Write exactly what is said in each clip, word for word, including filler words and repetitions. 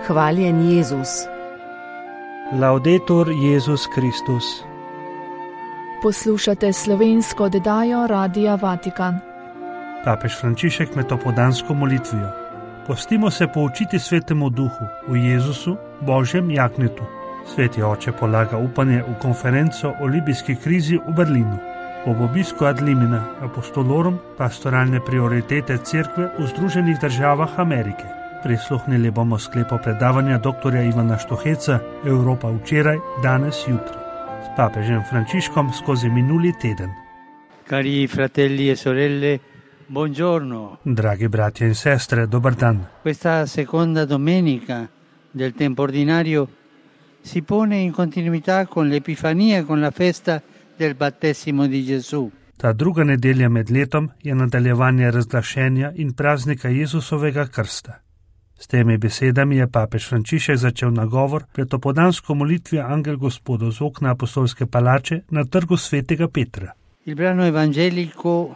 Hvaljen Jezus. Laudetur Jezus Kristus. Poslušate slovensko oddajo Radia Vatikan. Papež Frančišek med opoldansko molitvijo. Pustimo se poučiti Svetemu Duhu, v Jezusu, Božjem jagnjetu. Sveti oče polaga upanje v konferenco o libijski krizi v Berlinu. Ob obisku ad limina apostolorum pastoralne prioritete cerkve v Združenih državah Amerike. Prisluhnili bomo sklepu predavanja doktorja Ivana Štuheca Evropa včeraj, danes, jutri. S papežem Frančiškom skozi minuli teden. Cari fratelli e sorelle, buongiorno. Dragi bratje in sestre, dober dan. Questa seconda domenica del tempo ordinario si pone in continuità con l'Epifania, con la festa del battesimo di Gesù. Ta druga nedelja med letom je nadaljevanje razglašenja in praznika Jezusovega krsta. S temi besedami je papež Frančišek začel nagovor pred opoldansko molitvijo Angel Gospodov z okna apostolske palače na trgu svetega Petra. Il brano evangelico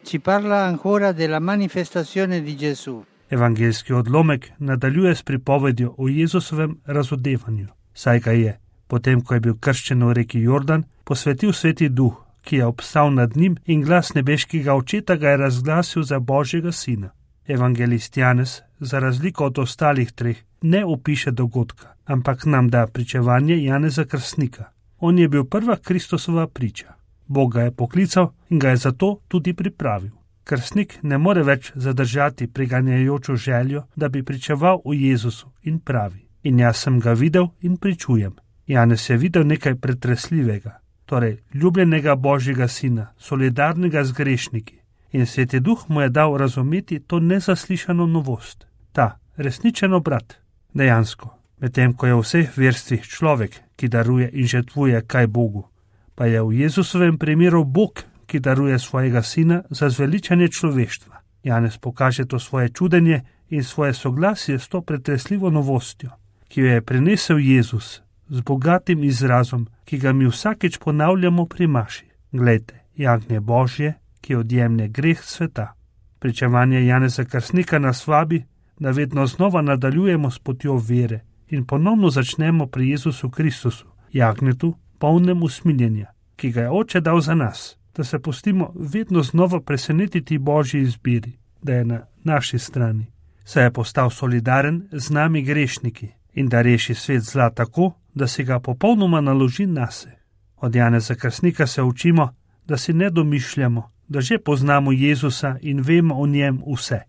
ci parla ancora della manifestazione di Gesù. Evangeljski odlomek nadaljuje s pripovedjo o Jezusovem razodevanju, saj ga je, potem ko je bil krščen v reki Jordan, posvetil Sveti Duh, ki je obstal nad njim in glas nebeškega očeta ga je razglasil za Božjega sina. Evangelist Janez, za razliko od ostalih treh, ne opiše dogodka, ampak nam da pričevanje Janeza Krstnika. On je bil prva Kristusova priča. Bog ga je poklical in ga je zato tudi pripravil. Krstnik ne more več zadržati priganjajočo željo, da bi pričeval o Jezusu in pravi: in jaz sem ga videl in pričujem. Janez je videl nekaj pretresljivega, torej ljubljenega Božjega sina, solidarnega z grešniki. In Sveti Duh mu je dal razumeti to nezaslišano novost, ta resničen obrat. Dejansko, medtem ko je v vseh verstvih človek, ki daruje in žrtvuje kaj Bogu, pa je v Jezusovem primeru Bog, ki daruje svojega sina za zveličanje človeštva. Janez pokaže to svoje čudenje in svoje soglasje s to pretresljivo novostjo, ki jo je prinesel Jezus z bogatim izrazom, ki ga mi vsakeč ponavljamo pri maši. Glejte, jagnje Božje, ki odjemlje greh sveta. Pričevanje Janeza Krstnika nas vabi, da vedno znova nadaljujemo s potjo vere in ponovno začnemo pri Jezusu Kristusu, jagnjetu, polnem usmiljenja, ki ga je Oče dal za nas, da se pustimo vedno znova presenetiti Božji izbiri, da je na naši strani, saj je postal solidaren z nami grešniki in da reši svet zla tako, da si ga popolnoma naloži nase. Od Janeza Krstnika se učimo, da si ne domišljamo, da že poznamo Jezusa in vemo o njem vse.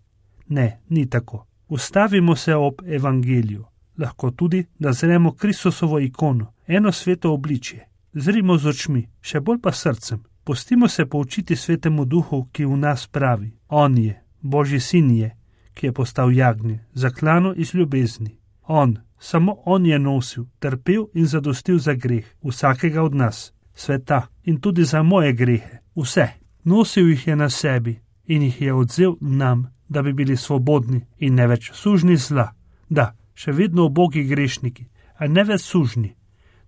Ne, ni tako. Ustavimo se ob evangeliju. Lahko tudi, da zremo Kristusovo ikono, eno sveto obličje. Zrimo z očmi, še bolj pa srcem. Pustimo se poučiti Svetemu Duhu, ki v nas pravi: on je, Božji sin je, ki je postal jagnje, zaklano iz ljubezni. On, samo on je nosil, trpel in zadostil za greh vsakega od nas, sveta in tudi za moje grehe, vse. Nosil jih je na sebi in jih je odzel nam, da bi bili svobodni in ne več sužni zla. Da, še vedno ubogi grešniki, a ne več sužni.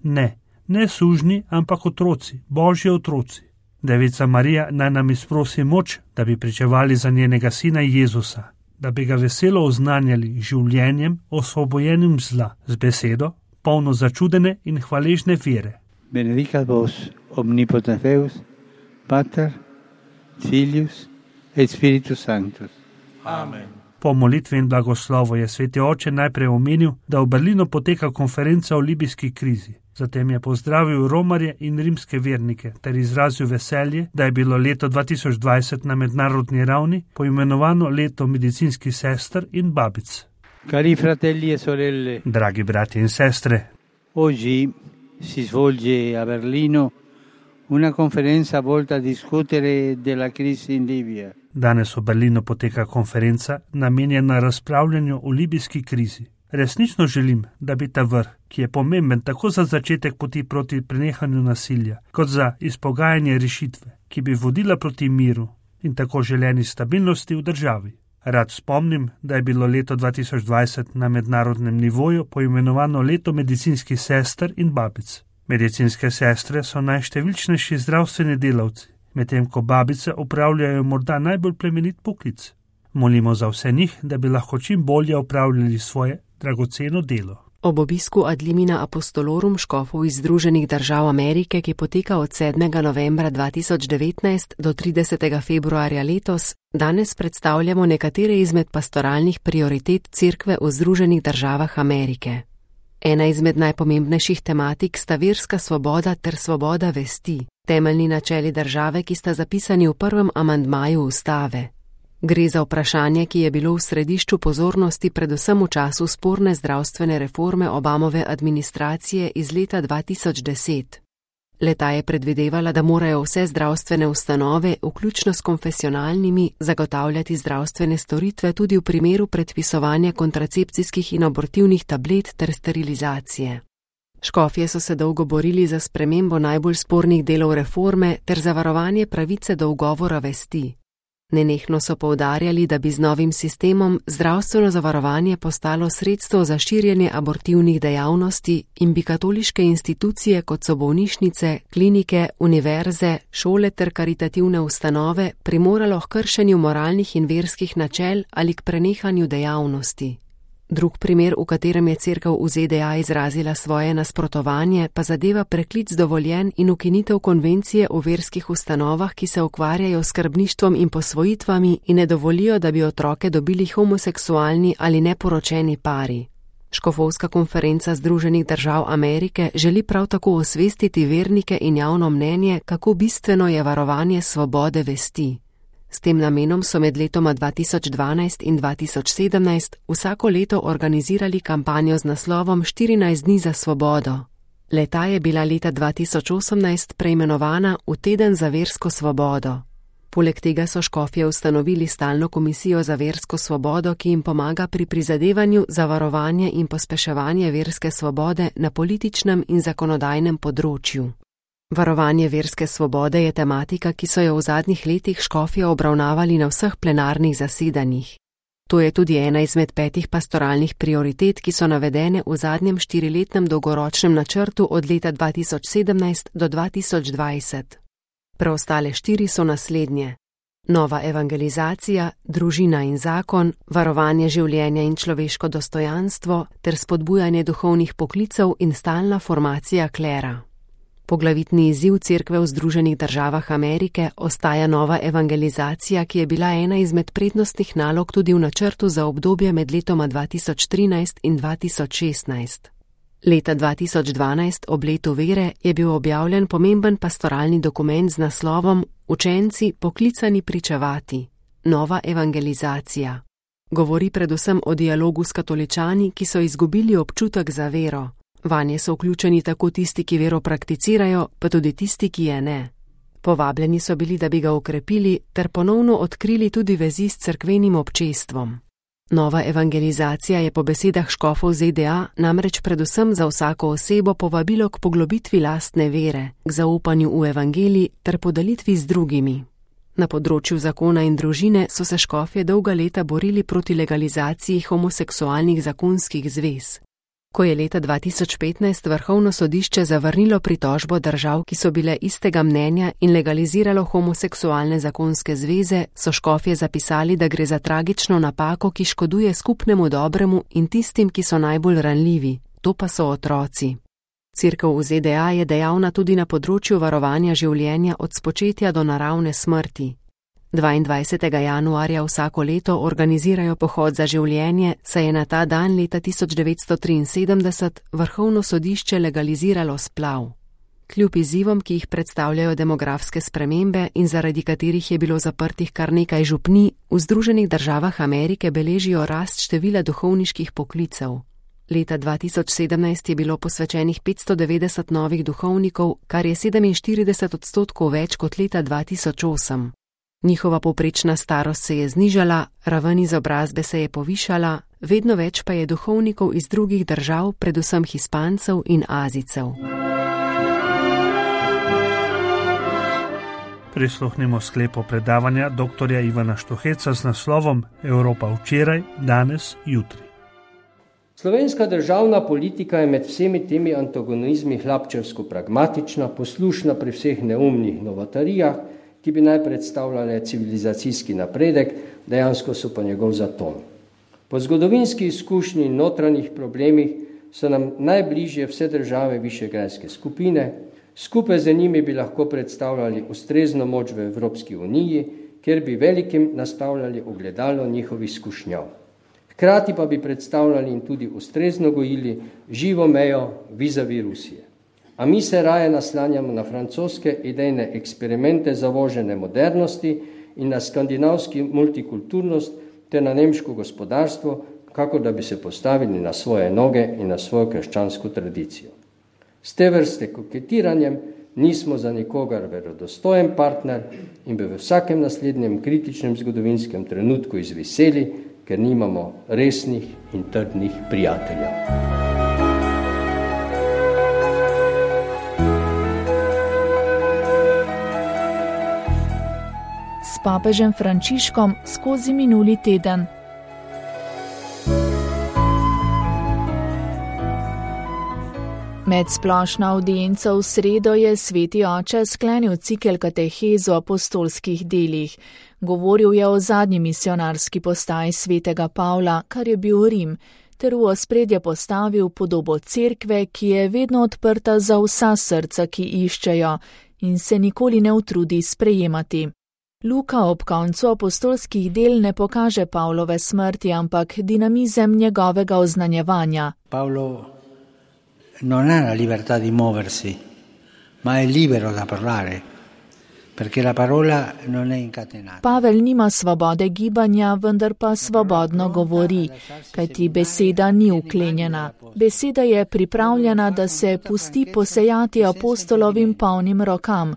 Ne, ne sužni, ampak otroci, Božji otroci. Devica Marija naj nam izprosi moč, da bi pričevali za njenega sina Jezusa, da bi ga veselo oznanjali življenjem, osvobojenim zla, z besedo, polno začudene in hvaležne vere. Benedicat vos omnipotens Deus, Pater, Filius et Spiritus Sanctus. Amen. Po molitvi in blagoslovu je Sveti Oče najprej omenil, da v Berlinu poteka konferenca o libijski krizi. Zatem je pozdravil romarje in rimske vernike ter izrazil veselje, da je bilo leto dva tisoč dvajset na mednarodni ravni poimenovano leto medicinskih sester in babic. Cari fratelli e sorelle, dragi bratje in sestre, oggi si svolge a Berlino una conferenza volta a discutere della crisi in Libia. Danes v Berlinu poteka konferenca namenjena razpravljanju o libijski krizi. Resnično želim, da bi ta vrh, ki je pomemben tako za začetek poti proti prenehanju nasilja, kot za izpogajanje rešitve, ki bi vodila proti miru in tako želeni stabilnosti v državi. Rad spomnim, da je bilo leto dva tisoč dvajset na mednarodnem nivoju poimenovano leto medicinskih sester in babic. Medicinske sestre so najštevilčnejši zdravstveni delavci, medtem ko babice opravljajo morda najbolj plemenit poklic. Molimo za vse njih, da bi lahko čim bolje opravljali svoje dragoceno delo. Ob obisku Ad limina apostolorum škofov iz Združenih držav Amerike, ki poteka od sedmega novembra dva tisoč devetnajst do tridesetega februarja letos, danes predstavljamo nekatere izmed pastoralnih prioritet Cerkve v Združenih državah Amerike. Ena izmed najpomembnejših tematik sta verska svoboda ter svoboda vesti, temeljni načeli države, ki sta zapisani v prvem amandmaju ustave. Gre za vprašanje, ki je bilo v središču pozornosti predvsem v času sporne zdravstvene reforme Obamove administracije iz leta dva tisoč deset. Le-ta je predvidevala, da morajo vse zdravstvene ustanove, vključno s konfesionalnimi, zagotavljati zdravstvene storitve tudi v primeru predpisovanja kontracepcijskih in abortivnih tablet ter sterilizacije. Škofje so se dolgo borili za spremembo najbolj spornih delov reforme ter za varovanje pravice do ugovora vesti. Nenehno so poudarjali, da bi z novim sistemom zdravstveno zavarovanje postalo sredstvo za širjenje abortivnih dejavnosti in bi katoliške institucije, kot so bolnišnice, klinike, univerze, šole ter karitativne ustanove, primoralo k kršenju moralnih in verskih načel ali k prenehanju dejavnosti. Drug primer, v katerem je Cerkev v Z D A izrazila svoje nasprotovanje, pa zadeva preklic dovoljen in ukinitev konvencije o verskih ustanovah, ki se ukvarjajo s skrbništvom in posvojitvami in ne dovolijo, da bi otroke dobili homoseksualni ali neporočeni pari. Škofovska konferenca Združenih držav Amerike želi prav tako osvestiti vernike in javno mnenje, kako bistveno je varovanje svobode vesti. S tem namenom so med letoma dva tisoč dvanajst in dva tisoč sedemnajst vsako leto organizirali kampanjo z naslovom štirinajst dni za svobodo. Le-ta je bila leta dva tisoč osemnajst preimenovana v Teden za versko svobodo. Poleg tega so škofje ustanovili stalno komisijo za versko svobodo, ki jim pomaga pri prizadevanju za varovanje in pospeševanje verske svobode na političnem in zakonodajnem področju. Varovanje verske svobode je tematika, ki so jo v zadnjih letih škofje obravnavali na vseh plenarnih zasedanjih. To je tudi ena izmed petih pastoralnih prioritet, ki so navedene v zadnjem štiriletnem dolgoročnem načrtu od leta dva tisoč sedemnajst do dva tisoč dvajset. Preostale štiri so naslednje: nova evangelizacija, družina in zakon, varovanje življenja in človeško dostojanstvo ter spodbujanje duhovnih poklicev in stalna formacija klera. Poglavitni izziv Cerkve v Združenih državah Amerike ostaja nova evangelizacija, ki je bila ena izmed prednostnih nalog tudi v načrtu za obdobje med letoma dva tisoč trinajst in dva tisoč šestnajst. Leta dva tisoč dvanajst, ob letu vere, je bil objavljen pomemben pastoralni dokument z naslovom Učenci poklicani pričevati. Nova evangelizacija. Govori predvsem o dialogu s katoličani, ki so izgubili občutek za vero. Vanje so vključeni tako tisti, ki vero prakticirajo, pa tudi tisti, ki je ne. Povabljeni so bili, da bi ga okrepili, ter ponovno odkrili tudi vezi s cerkvenim občestvom. Nova evangelizacija je po besedah škofov Z D A namreč predvsem za vsako osebo povabilo k poglobitvi lastne vere, k zaupanju v evangelij ter podelitvi z drugimi. Na področju zakona in družine so se škofje dolga leta borili proti legalizaciji homoseksualnih zakonskih zvez. Ko je leta dva tisoč petnajst Vrhovno sodišče zavrnilo pritožbo držav, ki so bile istega mnenja in legaliziralo homoseksualne zakonske zveze, so škofje zapisali, da gre za tragično napako, ki škoduje skupnemu dobremu in tistim, ki so najbolj ranljivi, to pa so otroci. Cerkev v Z D A je dejavna tudi na področju varovanja življenja od spočetja do naravne smrti. dvaindvajsetega januarja vsako leto organizirajo pohod za življenje, saj je na ta dan leta tisoč devetsto triinsedemdeset Vrhovno sodišče legaliziralo splav. Kljub izzivom, ki jih predstavljajo demografske spremembe in zaradi katerih je bilo zaprtih kar nekaj župnij, v Združenih državah Amerike beležijo rast števila duhovniških poklicev. Leta dva tisoč sedemnajst je bilo posvečenih petsto devetdeset novih duhovnikov, kar je sedeminštirideset odstotkov več kot leta dva tisoč osem. Njihova povprečna starost se je znižala, raven izobrazbe se je povišala, vedno več pa je duhovnikov iz drugih držav, predvsem Hispancev in Azijcev. Prisluhnimo sklepu predavanja doktorja Ivana Štuheca z naslovom Evropa včeraj, danes, jutri. Slovenska državna politika je med vsemi temi antagonizmi hlapčevsko pragmatična, poslušna pri vseh neumnih novotarijah, ki bi naj predstavljale civilizacijski napredek, dejansko so pa njegov zaton. Po zgodovinski izkušnji in notranjih problemih so nam najbližje vse države višegrajske skupine, skupaj z njimi bi lahko predstavljali ustrezno moč v Evropski uniji, kjer bi velikim nastavljali ogledalo njihovih izkušnjav. Hkrati pa bi predstavljali in tudi ustrezno gojili živo mejo vizavi Rusije. A mi se raje naslanjamo na francoske idejne eksperimente zavožene modernosti in na skandinavski multikulturnost ter na nemško gospodarstvo, kako da bi se postavili na svoje noge in na svojo krščansko tradicijo. S te vrste koketiranjem nismo za nikogar verodostojen partner in bi v vsakem naslednjem kritičnem zgodovinskem trenutku izviseli, ker nimamo resnih in trdnih prijateljev. S papežem Frančiškom skozi minuli teden. Med splošno avdienco v sredo je sveti oče sklenil cikel katehez o apostolskih delih. Govoril je o zadnji misionarski postaji svetega Pavla, kar je bil Rim, ter v ospredje postavil podobo cerkve, ki je vedno odprta za vsa srca, ki iščejo in se nikoli ne utrudi sprejemati. Luka ob koncu apostolskih del ne pokaže Pavlove smrti, ampak dinamizem njegovega oznanjevanja. Paolo non ha la libertà di muoversi, ma è libero da parlare, perché la parola non è incatenata. Pavel nima svobode gibanja, vendar pa svobodno govori, kajti beseda ni uklenjena. Beseda je pripravljena, da se pusti posejati apostolovim polnim rokam.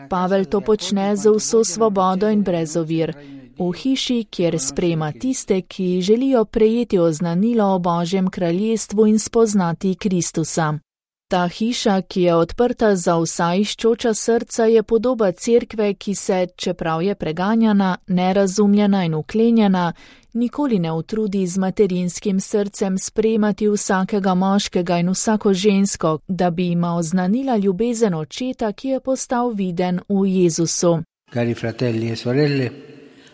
Pavel to počne z vso svobodo in brez ovir. V hiši, kjer sprejema tiste, ki želijo prejeti oznanilo o Božjem kraljestvu in spoznati Kristusa. Ta hiša, ki je odprta za vsa iščoča srca, je podoba cerkve, ki se, čeprav je preganjana, nerazumljena in uklenjena, nikoli ne utrudi z materinskim srcem sprejemati vsakega moškega in vsako žensko, da bi jima oznanila ljubezen očeta, ki je postal viden v Jezusu. Cari fratelli e sorelle,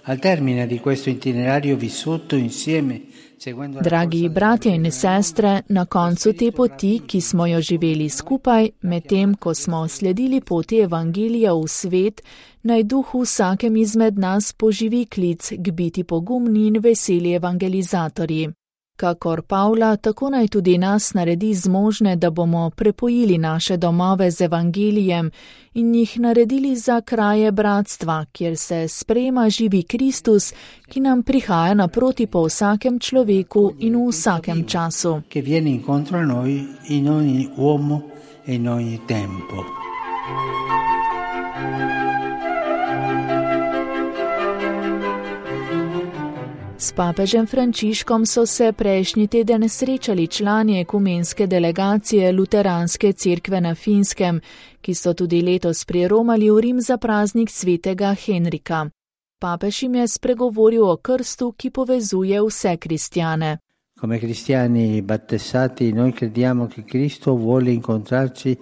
al termine di questo itinerario vissuto insieme, seguendo Dragi bratje in sestre, na koncu te poti, ki smo jo živeli skupaj, medtem ko smo sledili poti evangelija v svet, naj duh vsakem izmed nas poživi klic k biti pogumni in veseli evangelizatorji. Kakor Pavla, tako naj tudi nas naredi zmožne, da bomo prepojili naše domove z evangelijem in jih naredili za kraje bratstva, kjer se sprejema živi Kristus, ki nam prihaja naproti po vsakem človeku in v vsakem času. Che viene incontro a noi in ogni uomo e in ogni tempo. S papežem Frančiškom so se prejšnji teden srečali člani ekumenske delegacije Luteranske cerkve na Finskem, ki so tudi letos priromali v Rim za praznik svetega Henrika. Papež jim je spregovoril o krstu, ki povezuje vse kristjane. Come cristiani battezzati, noi crediamo che Cristo vuole incontrarci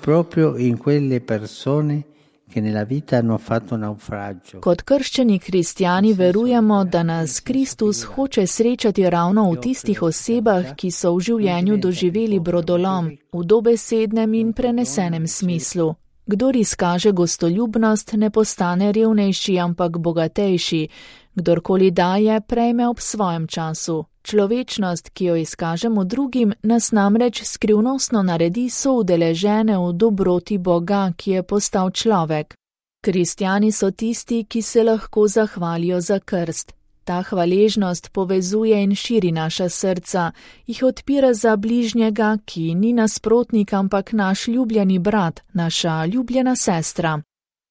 proprio in quelle persone che nella vita hanno fatto naufragio. Kot krščeni kristjani verujemo, da nas Kristus hoče srečati ravno v tistih osebah, ki so v življenju doživeli brodolom, v dobesednem in prenesenem smislu. Kdor izkaže gostoljubnost, ne postane revnejši, ampak bogatejši. Kdorkoli daje, prejme ob svojem času. Človečnost, ki jo izkažemo drugim, nas namreč skrivnostno naredi soudeležene v dobroti Boga, ki je postal človek. Kristjani so tisti, ki se lahko zahvalijo za krst. Ta hvaležnost povezuje in širi naša srca, jih odpira za bližnjega, ki ni nasprotnik, ampak naš ljubljeni brat, naša ljubljena sestra.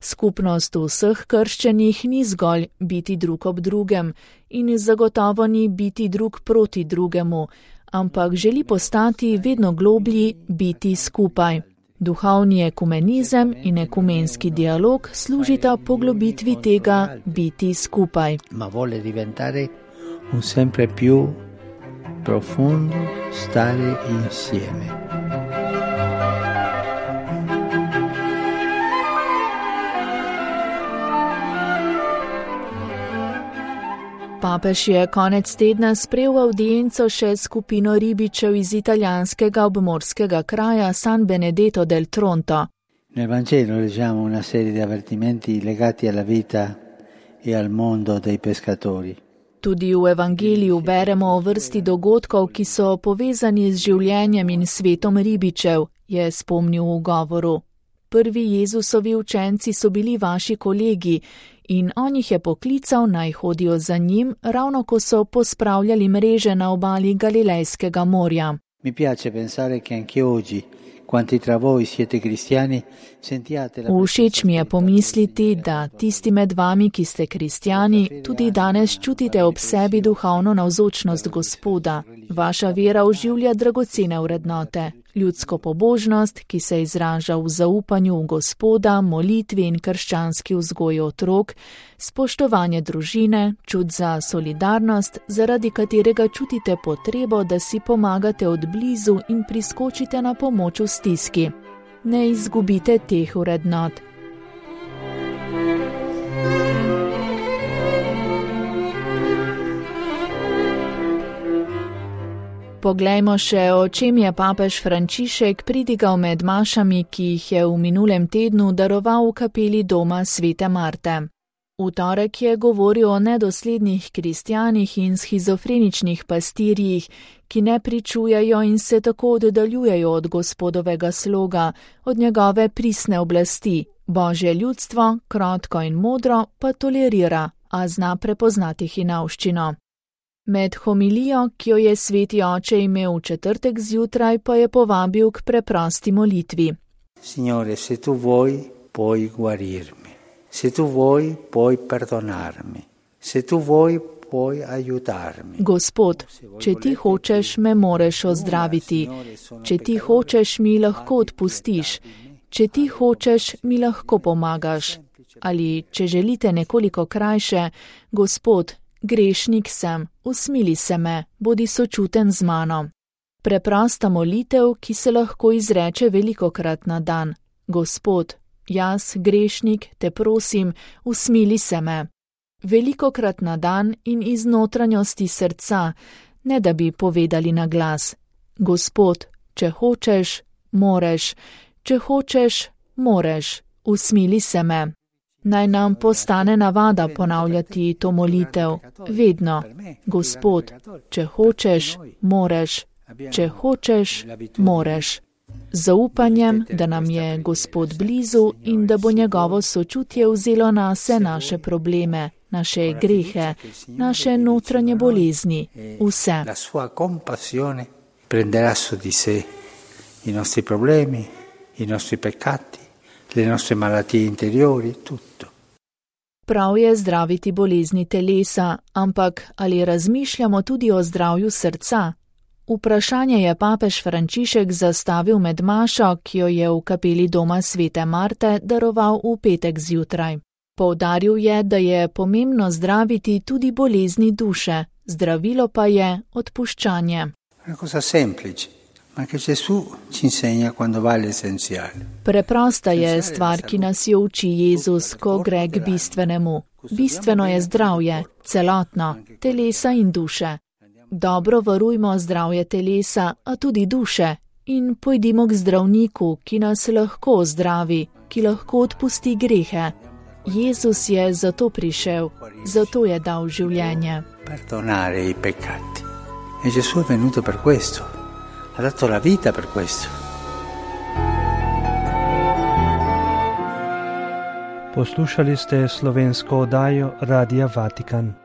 Skupnost vseh krščenih ni zgolj biti drug ob drugem in zagotovo ni biti drug proti drugemu, ampak želi postati vedno globlji, biti skupaj. Duhovni ekumenizem in ekumenski dialog služita poglobitvi tega biti skupaj. Ma vuole diventare un sempre più profondo stare insieme. Papež je konec tedna sprejel audienco še skupino ribičev iz italijanskega obmorskega kraja San Benedetto del Tronto. Nel Vangelo leggiamo una serie di avvertimenti legati alla vita e al mondo dei pescatori. Tudi v Evangeliju beremo o vrsti dogodkov, ki so povezani z življenjem in svetom ribičev, je spomnil v govoru. Prvi Jezusovi učenci so bili vaši kolegi in on jih je poklical, naj hodijo za njim, ravno ko so pospravljali mreže na obali Galilejskega morja. Mi piace pensare che anche oggi quanti tra voi siete cristiani sentiate la Všeč mi je pomisliti, da tisti med vami, ki ste kristjani, tudi danes čutite ob sebi duhovno navzočnost Gospoda. Vaša vera oživlja dragocene vrednote. Ljudsko pobožnost, ki se izraža v zaupanju v Gospoda, molitvi in krščanski vzgoji otrok, spoštovanje družine, čut za solidarnost, zaradi katerega čutite potrebo, da si pomagate od blizu in priskočite na pomoč v stiski. Ne izgubite teh vrednot. Poglejmo še, o čem je papež Frančišek pridigal med mašami, ki jih je v minulem tednu daroval v kapeli doma Svete Marte. V torek je govoril o nedoslednih kristjanih in schizofreničnih pastirjih, ki ne pričujejo in se tako oddaljujejo od Gospodovega sloga, od njegove pristne oblasti. Božje ljudstvo, krotko in modro, pa tolerira, a zna prepoznati hinavščino. Med homilijo, ki jo je sveti oče imel v četrtek zjutraj, pa je povabil k preprosti molitvi. Signore, se tu vuoi, puoi guarirmi. Se tu vuoi, puoi perdonarmi. Se tu vuoi, puoi aiutarmi. Gospod, če ti hočeš, me moreš ozdraviti. Če ti hočeš, mi lahko odpustiš. Če ti hočeš, mi lahko pomagaš. Ali, če želite nekoliko krajše, Gospod, grešnik sem, usmili se me, bodi sočuten z mano. Preprosta molitev, ki se lahko izreče velikokrat na dan. Gospod, jaz, grešnik, te prosim, usmili se me. Velikokrat na dan in iz notranjosti srca, ne da bi povedali na glas. Gospod, če hočeš, moreš, če hočeš, moreš, usmili se me. Naj nam postane navada ponavljati to molitev, vedno. Gospod, če hočeš, moreš, če hočeš, moreš. Zaupanjem, da nam je Gospod blizu in da bo njegovo sočutje vzelo nase naše probleme, naše grehe, naše notranje bolezni, vse. La sua compassione prenderà su di sé i nostri problemi, i nostri peccati, le nostre malattie interiori, tutto. Prav je zdraviti bolezni telesa, ampak ali razmišljamo tudi o zdravju srca? Vprašanje je papež Frančišek zastavil med mašo, ki jo je v kapeli doma Svete Marte daroval v petek zjutraj. Poudaril je, da je pomembno zdraviti tudi bolezni duše, zdravilo pa je odpuščanje. Una cosa semplice. Ma che Gesù ci insegna quando va all'essenziale. Preprosta je stvar, ki nas jo uči Jezus, ko gre k bistvenemu. Bistveno je zdravje, celotno, telesa in duše. Dobro varujmo zdravje telesa, a tudi duše, in pojdimo k zdravniku, ki nas lahko zdravi, ki lahko odpusti grehe. Jezus je zato prišel, zato je dal življenje. Perdonare i peccati. E Gesù è venuto per questo. Ha dato la vita per questo. Poslušali ste slovensko oddajo Radia Vatikan.